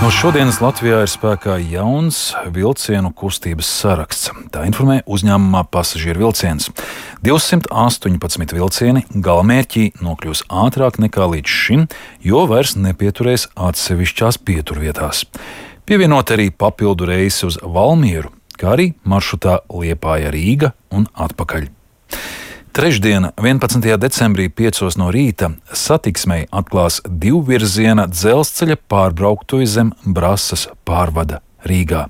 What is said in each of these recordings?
No šodienas Latvijā ir spēkā jauns vilcienu kustības saraksts. Tā informē uzņēmumā Pasažieru vilciens. 218 vilcieni galamērķī nokļūs ātrāk nekā līdz šim, jo vairs nepieturēs atsevišķās pieturvietās. Pievienot arī papildu reisi uz Valmieru, kā arī maršrutā Liepāja-Rīga un atpakaļ. Trešdien, 11. decembrī 5 no rīta satiksmei atklās divvirziena dzelzceļa pārbrauktuve zem Brasas pārvada Rīgā.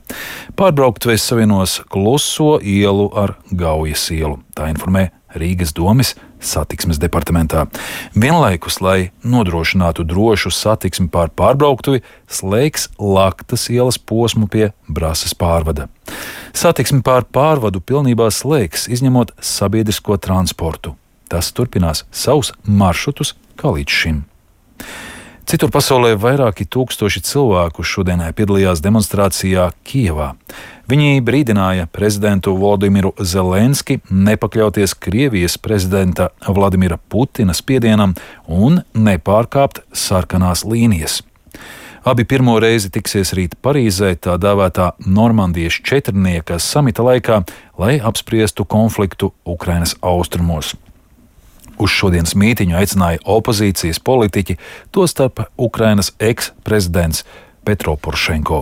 Pārbrauktuve savienos Kluso ielu ar Gaujas ielu, tā informē Rīgas domes satiksmes departamentā. Vienlaikus, lai nodrošinātu drošu satiksmi pār pārbrauktuvi, slēgs Laktas ielas posmu pie Brasas pārvada. Satiksmi pār pārvadu pilnībā slēgs, izņemot sabiedrisko transportu. Tas turpinās savus maršrutus kā līdz šim. Citur pasaulē vairāki tūkstoši cilvēku šodienai piedalījās demonstrācijā Kijevā. Viņi brīdināja prezidentu Volodimiru Zelenski nepakļauties Krievijas prezidenta Vladimira Putina spiedienam un nepārkāpt sarkanās līnijas. Abi pirmo reizi tiksies rīt Parīzē tā dēvētā Normandijas četrnieka samita laikā, lai apspriestu konfliktu Ukrainas austrumos. Uz šodienas mītiņu aicināja opozīcijas politiķi, tostarp Ukrainas eks-prezidents Petro Porošenko.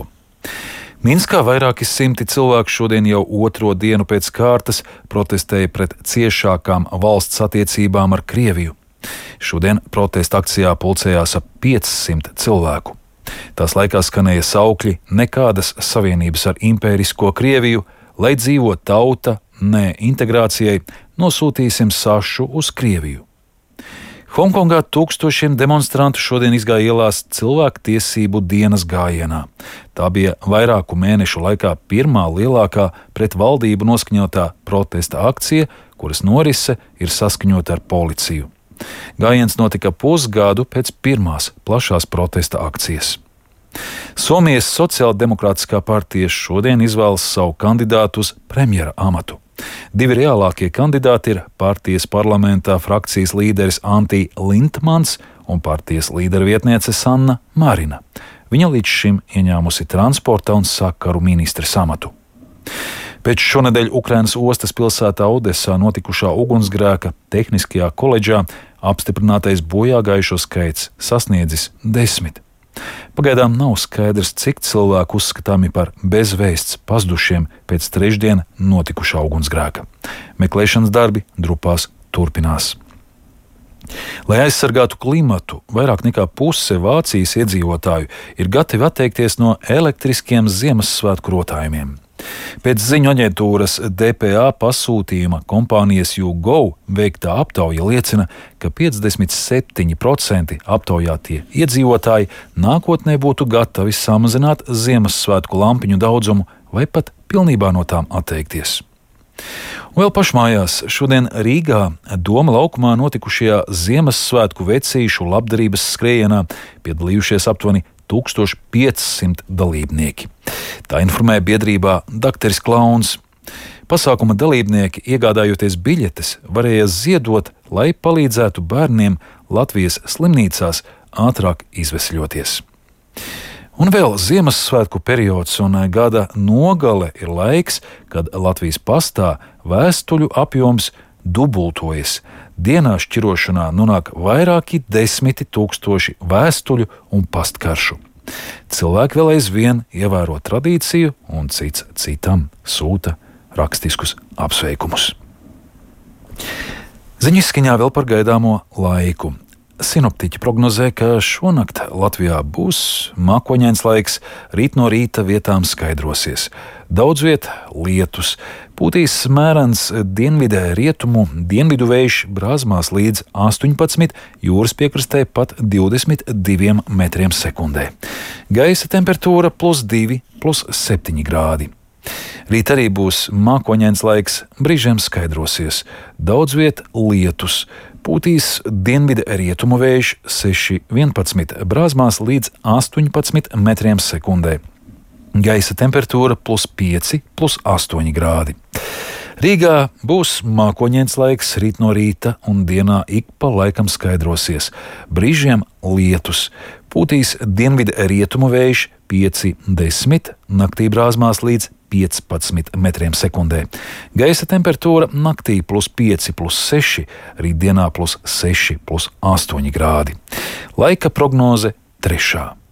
Minskā vairāki simti cilvēku šodien jau otro dienu pēc kārtas protestēja pret ciešākām valsts attiecībām ar Krieviju. Šodien protesta akcijā pulcējās ap 500 cilvēku. Tās laikā skanēja saukļi nekādas savienības ar impērisko Krieviju, lai dzīvo tauta, nē integrācijai, nosūtīsim sašu uz Krieviju. Hongkongā tūkstošiem demonstrantu šodien izgāja ielās cilvēktiesību dienas gājienā. Tā bija vairāku mēnešu laikā pirmā lielākā pret valdību noskaņotā protesta akcija, kuras norise ir saskaņota ar policiju. Gājiens notika pusgadu pēc pirmās plašās protesta akcijas. Somijas Sociāldemokrātiskā partija šodien izvēlas savu kandidātu uz premjera amatu. Divi reālākie kandidāti ir partijas parlamentā frakcijas līderis Antti Lindmans un partijas līdera vietniece Sanna Marina. Viņa līdz šim ieņēmusi transporta un sakaru ministres amatu. Pēc šonedēļ Ukrainas ostas pilsētā Odesā notikušā ugunsgrēka Tehniskajā koledžā apstiprinātais bojāgājušo skaits sasniedzis 10. Pagaidām nav skaidrs, cik cilvēku uzskatāmi par bezvēsts pazudušiem pēc trešdien notikušā ugunsgrēka. Meklēšanas darbi Drupās turpinās. Lai aizsargātu klimatu, vairāk nekā puse Vācijas iedzīvotāju ir gatavi atteikties no elektriskiem Ziemassvētku rotājumiem. Pēc ziņu aģentūras DPA pasūtījuma kompānijas YouGo veiktā aptauja liecina, ka 57% aptaujātie iedzīvotāji nākotnē būtu gatavi samazināt Ziemassvētku lampiņu daudzumu vai pat pilnībā no tām atteikties. Un vēl pašmājās šodien Rīgā Doma laukumā notikušajā Ziemassvētku vecīšu labdarības skrējienā piedalījušies aptuveni 1500 dalībnieki. Tā informē biedrībā Dakteris Klauns. Pasākuma dalībnieki, iegādājoties biļetes, varēja ziedot, lai palīdzētu bērniem Latvijas slimnīcās ātrāk izvesļoties. Un vēl Ziemassvētku periods un gada nogale ir laiks, kad Latvijas pastā vēstuļu apjoms dubultojas. Dienā šķirošanā nonāk vairāki 10 000 vēstuļu un pastkaršu. Cilvēki vēl aizvien ievēro tradīciju un cits citam sūta rakstiskus apsveikumus. Ziņu izskaņā vēl par gaidāmo laiku. Sinoptiķi prognozē, ka šonakt Latvijā būs mākoņains laiks, rīt no rīta vietām skaidrosies. Daudz viet lietus, pūtīs mērens dienvidē rietumu, dienvidu vējš brāzmās līdz 18, jūras piekrastē pat 22 metriem sekundē. Gaisa temperatūra +2, +7 grādi. Rīt arī būs mākoņains laiks, brīžiem skaidrosies. Daudz viet lietus, pūtīs dienvidu rietumu vējš 6,11 brāzmās līdz 18 metriem sekundē. Gaisa temperatūra +5, +8 grādi. Rīgā būs mākoņains laiks, rīt no rīta un dienā ik pa laikam skaidrosies. Brīžiem lietus, pūtīs dienvidu rietumu vējš 5–10, naktī brāzmās līdz 15 metriem sekundē. Gaisa temperatūra naktī +5–6, rītdienā +6–8 grādi. Laika prognoze 3.